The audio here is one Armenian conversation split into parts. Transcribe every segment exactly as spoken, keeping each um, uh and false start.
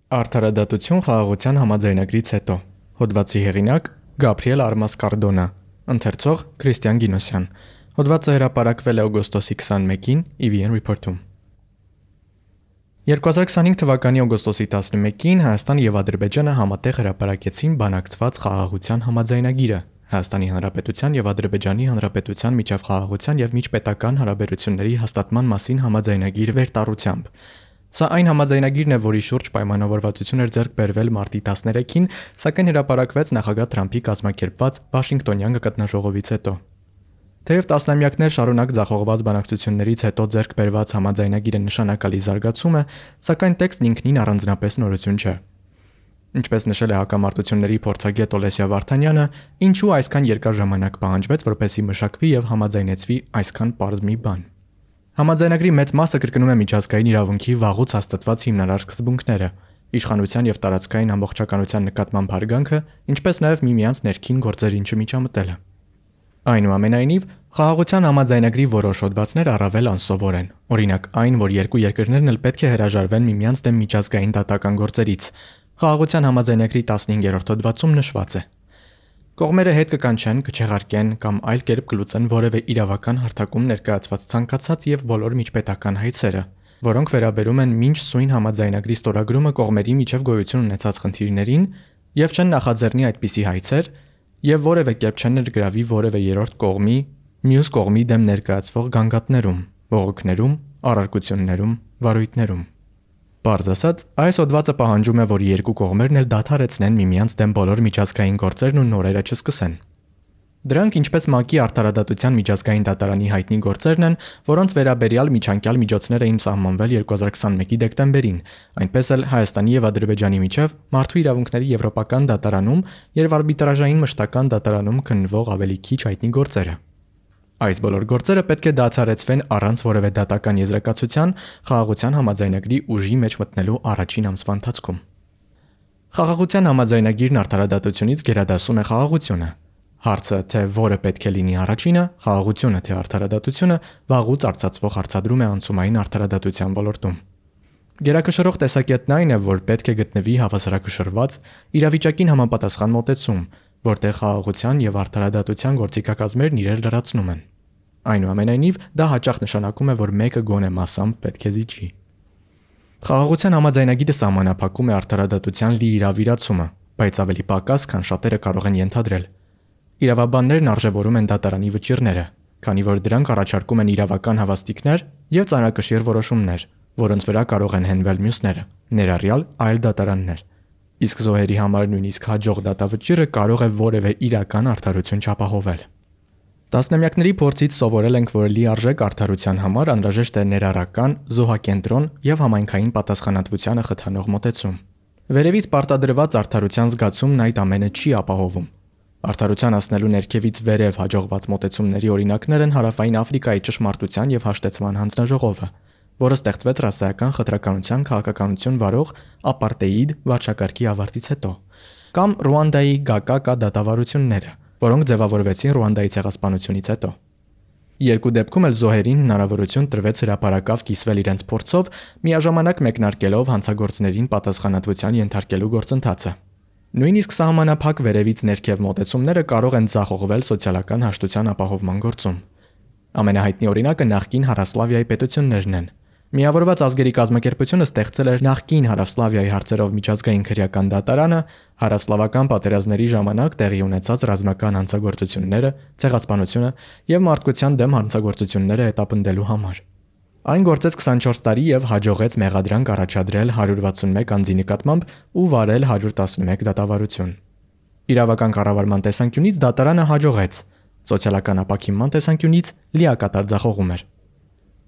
Արդարադատություն խաղաղության համաձայնագրից հետո։ Հոդվածի հեղինակ Գաբրիել Արմասկարդոնա, ընթերցող Քրիստիան Գինոսյան։ Հոդվածը հրապարակվել է օգոստոսի քսաներկին ի վի են Report-ում։ երկու հազար քսանհինգ թվականի օգոստոսի տասնմեկին Հայաստան եւ Ադրբեջանը համատեղ հրապարակեցին բանակցված խաղաղության համաձայնագիրը Հայաստանի Հանրապետության եւ Ադրբեջանի Հանրապետության միջև խաղաղության եւ միջպետական հարաբերությունների հաստատման մասին համաձայնագիր վերտառությամբ։ Սա այն համաձայնագիրն է, որի շուրջ պայմանավորվածություն էր ձեռք բերվել մարտի տասներեքին, սակայն հրապարակվեց նախագահ Թրամփի կազմակերպված Վաշինգտոնյան գագաթնաժողովից հետո։ Թեև տասնամյակներ շարունակ ձախողված բանակցություններից հետո ձեռք բերված համաձայնագիրը նշանակալի զարգացում է, սակայն տեքստն ինքնին առանձնապես նորություն չէ։ Ինչպես նշել է հակամարտությունների փորձագետ Օլեսիա Վարդանյանը, ինչու այսքան երկար ժամանակ պահանջվեց, որպեսզի մշակվի եւ համաձայնեցվի այսքան պարզ մի բան։ Համաձայնագրի մեծ մասը կրկնում է միջազգային իրավունքի վաղուց հաստատված հիմնարար սկզբունքները՝ իշխանության եւ տարածքային ամբողջականության նկատմամբ հարգանքը, ինչպես նաեւ միմյանց ներքին գործերին չմիջամտելը։ Այնուամենայնիվ, խաղաղության համաձայնագրի որոշ հոդվածներ առավել անսովոր են։ Օրինակ, այն, որ երկու երկրներն էլ պետք է հրաժարվեն միմյանց դեմ միջազգային դատական գործերից։ Խաղաղության համաձայնագրի տասնհինգերորդ հոդվածում նշված է. Կողմերը հետ կկանչեն, կչեղարկեն կամ այլ կերպ կլուծեն որևէ իրավական հարթակում ներկայացված ցանկացած եւ բոլոր միջպետական հայցերը, որոնք վերաբերում են մինչ սույն համաձայնագրի ստորագրումը կողմերի միջև գոյություն ունեցած խնդիրներին եւ չեն նախաձեռնի այդպիսի հայցեր եւ որևէ կերպ չեն ներգրավի որևէ երրորդ կողմի, մյուս կողմի դեմ ներկայացվող գանգատներում, բողոքներում, առարկություններում, վարույթներում։ Պարզ ասած, այս հոդվածը պահանջում է, որ երկու կողմերն էլ դադարեցնեն միմյանց դեմ բոլոր միջազգային գործերն ու նորերը չսկսեն։ Դրանք ինչպես ՄԱԿ-ի արդարադատության միջազգային դատարանի հայտնի գործերն են, որոնց վերաբերյալ միջանկյալ միջոցներ էին սահմանվել երկու հազար քսանմեկի դեկտեմբերին, այնպես էլ Հայաստանի եւ Ադրբեջանի միջև մարդու իրավունքների եվրոպական դատարանում եւ արբիտրաժային մշտական դատարանում քննվող ավելի քիչ հայտնի գործերը։ Այս բոլոր գործերը պետք է դադարեցվեն առանց որևէ դատական եզրակացության խաղաղության համաձայնագրի ուժի մեջ մտնելու առաջին ամսվա ընթացքում։ Խաղաղության համաձայնագիրն արդարադատությունից գերադասում է խաղաղությունը։ Հարցը, թե որը պետք է լինի առաջինը, խաղաղությունը թե արդարադատությունը, վաղուց արծացվող հարցադրում է անցումային արդարադատության ոլորտում։ Գերակշռող տեսակետն այն է, որ պետք է գտնվի հավասարակշռված իրավիճակին համապատասխան մոտեցում, որտեղ խաղաղության եւ արդարադատության գործիքակազմերն իրար լրացնում են։ Այնուամենայնիվ, դա հաճախ նշանակում է, որ մեկը գոնե մասամբ պետք է զիջի։ Խաղաղության համաձայնագիրը սահմանափակում է արդարադատության լիիրավիրացումը, բայց ավելի պակաս, քան շատերը կարող են ենթադրել։ Իրավաբաններն արժևորում են դատարանի վճիռները, քանի որ դրանք առաջարկում են իրավական հավաստիքներ եւ ծանրակշիռ որոշումներ, որոնց վրա կարող են հենվել մյուսները, ներառյալ այլ դատարաններ։ Իսկ զոհերի համար նույնիսկ հաջող դատավճիռը կարող է որևէ իրական արդարություն չապահովել։ Տասնամյակների փորձից սովորել ենք, որ լիարժեք արդարության համար անհրաժեշտ է ներառական, զոհակենտրոն եւ համայնքային պատասխանատվությանը խթանող մոտեցում։ Վերևից պարտադրված արդարության զգացումն այդ ամենը չի ապահովում։ Արդարության հասնելու ներքևից վերև հաջողված մոտեցումների օրինակներ են Հարավային Աֆրիկայի ճշմարտության եւ հաշտեցման հանձնաժողովը, որը ստեղծվեց ռասայական խտրականության քաղաքականություն վարող ապարտեիդ վարչակարգի ավարտից հետո, կամ Ռուանդայի Գակակա դատավարությունները, որոնք ձևավորվեցին Ռուանդայի ցեղասպանությունից հետո։ Երկու դեպքում էլ զոհերին հնարավորություն տրվեց հրապարակավ կիսվել իրենց փորձով, միաժամանակ մեկնարկելով հանցագործներին պատասխանատվության ենթարկելու գործընթացը։ Նույնիսկ սահմանափակ վերևից ներքև մոտեցումները կարող են ձախողվել սոցիալական հաշտության ապահովման գործում։ Ամենահայտնի օրինակը նախկին Հարավսլավիայի պետություններն են։ Միավորված ազգերի կազմակերպությունը ստեղծել էր նախկին Հարավսլավիայի հարցերով միջազգային քրեական դատարանը հարավսլավական պատերազմների ժամանակ տեղի ունեցած ռազմական հանցագործությունները, ցեղասպանությունը եւ մարդկության դեմ հանցագործությունները հետապնդելու համար։ Այն գործեց քսանչորս տարի եւ հաջողեց մեղադրանք առաջադրել հարյուր վաթսունմեկ անձի նկատմամբ ու վարել հարյուր տասնմեկ դատավարություն։ Իրավական կառավարման տեսանկյունից դատարանը հաջողեց, սոցիալական ապաքինման տեսանկյունից լիակատար ձախողում էր։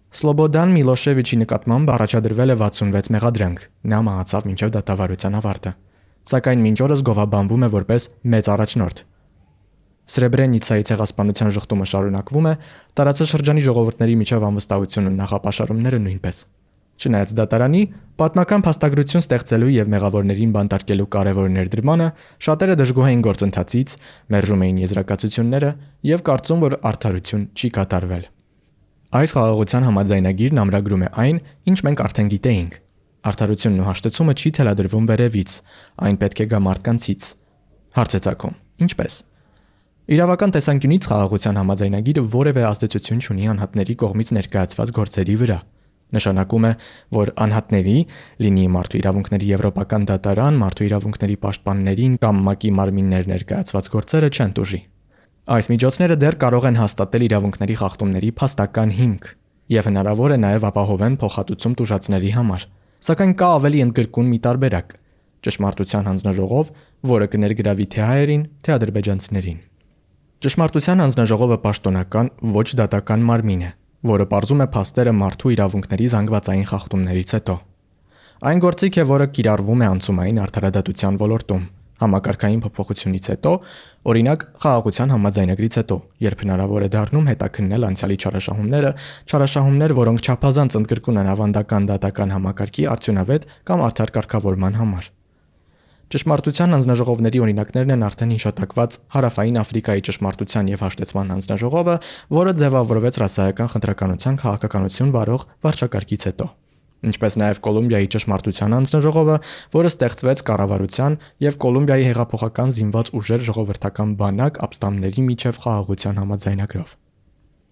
Սլոբոդան Միլոշևիչի նկատմամբ առաջադրվել է վաթսունվեց մեղադրանք, նա մահացավ մինչև դատավարության ավարտը, սակայն մինչ օրս գովաբանվում է որպես մեծ առաջնորդ։ Սրեբրենիցայի ցեղասպանության ժխտումը շարունակվում է, տարածաշրջանի ժողովուրդների միջև անվստահությունն ու նախապաշարումները նույնպես։ Չնայած դատարանի պատմական փաստագրություն ստեղծելու եւ մեղավորներին բանտարկելու կարևոր ներդրմանը, շատերը դժգոհ էին գործընթացից, մերժում էին եզրակացությունները եւ կարծում, որ արդարություն չի կատարվել։ Այս խաղաղության համաձայնագիրն ամրագրում է այն, ինչ մենք արդեն գիտեինք։ Արդարությունն ու հաշտեցումը չի թելադրվում վերևից, այն պետք է գա մարդկանցից։ Հարց է ծագում. ինչպես։ Իրավական տեսանկյունից խաղաղության համաձայնագիրը որևէ ազդեցություն չունի անհատների կողմից ներկայացված գործերի վրա։ Նշանակում է, որ անհատների, լինի մարդու իրավունքների եվրոպական դատարան, մարդու իրավունքների պաշտպաններին կամ ՄԱԿ-ի մարմիններ ներկայացված գործերը չեն տուժի։ Այս միջոցները դեռ կարող են հաստատել իրավունքների խախտումների փաստական հիմք եւ հնարավոր է նաեւ ապահովեն փոխհատուցում տուժածների համար։ Սակայն կա ավելի ընդգրկուն մի տարբերակ՝ ճշմարտության հանձնաժողով, որը կներգրավի թե հայերին, թե ադրբեջանցիներին։ Ճշմարտության հանձնաժողովը պաշտոնական ոչ դատական մարմին է, որը պարզում է փաստերը մարդու իրավունքների զանգվածային խախտումներից հետո։ Այն գործիք է, որը կիրառվում է անցումային արդարադատության ոլորտում, համակարգային փոփոխությունից հետո, օրինակ խաղաղության համաձայնագրից հետո, երբ հնարավոր է դառնում հետաքննել անցյալի չարաշահումները, չարաշահումներ, որոնք չափազանց ընդգրկուն են ավանդական դատական համակարգի արդյունավետ կամ արդար կարգավորման համար։ Ճշմարտության հանձնաժողովների օրինակներն են արդեն հիշատակված Հարավային Աֆրիկայի ճշմարտության եւ հաշտեցման հանձնաժողովը, որը ձևավորվեց ռասայական խնդրականության քաղաքականություն վարող վարչակարգից հետո, ինչպես նաեւ Կոլումբիայի ճշմարտության հանձնաժողովը, որը ստեղծվեց կառավարության եւ Կոլումբիայի հեղափոխական զինված ուժեր ժողովրդական բանակ ապստամբների միջև խաղաղության համաձայնագրով։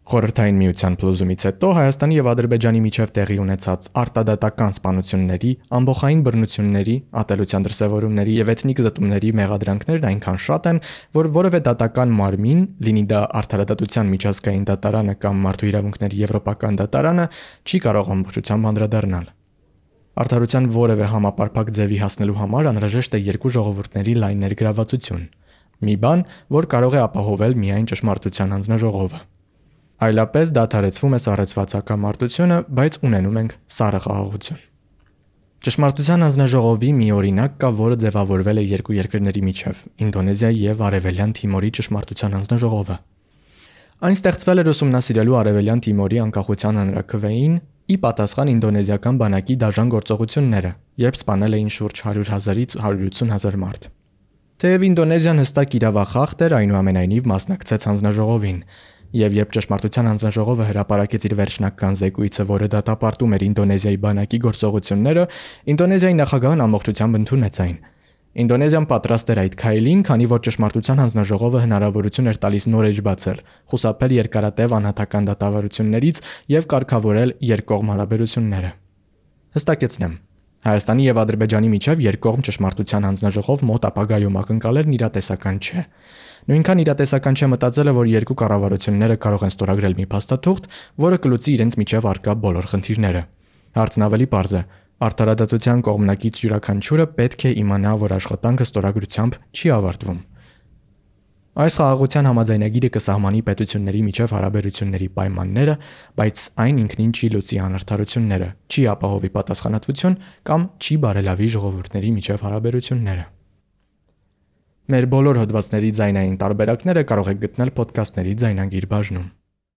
Խորհրդային միության փլուզումից հետո Հայաստանի եւ Ադրբեջանի միջև տեղի ունեցած արտադատական սպանությունների, ամբոխային բռնությունների, ատելության դրսևորումների եւ էթնիկ զտումների մեղադրանքներն այնքան շատ են, որ որևէ դատական մարմին, լինի դա արդարադատության միջազգային դատարանը կամ մարդու իրավունքների եվրոպական դատարանը, չի կարող ամբողջությամբ անդրադառնալ։ Արդարության որևէ համապարփակ ձևի հասնելու համար անհրաժեշտ է երկու ժողովուրդների լայն ներգրավվածություն։ Մի բան, որ կարող է ապահովել միայն ճշմարտության հանձնաժողովը։ Այլապես դադարեցվում է սառեցված հակամարտությունը, բայց ունենում ենք սառը խաղաղություն։ Ճշմարտության հանձնաժողովի մի օրինակ կա, որը ձևավորվել է երկու երկրների միջև՝ Ինդոնեզիայի եւ Արևելյան Թիմորի ճշմարտության հանձնաժողովը։ Այն ստեղծվել էր ուսումնասիրելու Արևելյան Թիմորի անկախության հանրաքվեին ի պատասխան ինդոնեզիական բանակի դաժան գործողությունները, երբ սպանել էին շուրջ հարյուր հազարից հարյուր ութսուն հազար մարդ։ Թեև Ինդոնեզիան հստակ իրավախախտ էր, այնուամենայնիվ մասնակցեց հանձնաժողովին, եւ երբ ճշմարտության հանձնաժողովը հրապարակեց իր վերջնական զեկույցը, որը դատապարտում էր Ինդոնեզիայի բանակի գործողությունները, Ինդոնեզիայի նախագահն ամբողջությամբ ընդունեց այն։ Ինդոնեզիան պատրաստ էր այդ քայլին, քանի որ ճշմարտության հանձնաժողովը հնարավորություն էր տալիս նոր էջ բացել, խուսափել երկարատև անհատական դատավարություններից եւ կարգավորել երկկողմ հարաբերությունները։ Հստակեցնեմ, Հայաստանի եւ Ադրբեջանի միջև երկկողմ ճշմարտության հանձնաժողով մոտ ապագայում ակնկալելն իրատեսական չէ։ Նույնքան իրատեսական չէ մտածելը, որ երկու կառավարությունները կարող են ստորագրել մի փաստաթուղթ, որը կլուծի իրենց միջև առկա բոլոր խնդիրները։ Հարցն ավելի պարզ է։ Արդարադատության կողմնակից յուրաքանչյուրը պետք է իմանա, որ աշխատանքը ստորագրությամբ չի ավարտվում։ Այս խաղաղության համաձայնագիրը կսահմանի պետությունների միջև հարաբերությունների պայմանները, բայց այն ինքնին չի լուծի անարդարությունները, չի ապահովի պատասխանատվություն կամ չի բարելավի ժողովուրդների միջև հարաբերությունները։ Մեր բոլոր հոդվածների ձայնային տարբերակները կարող եք գտնել ոդքասթների ձայնագիր բաժնում։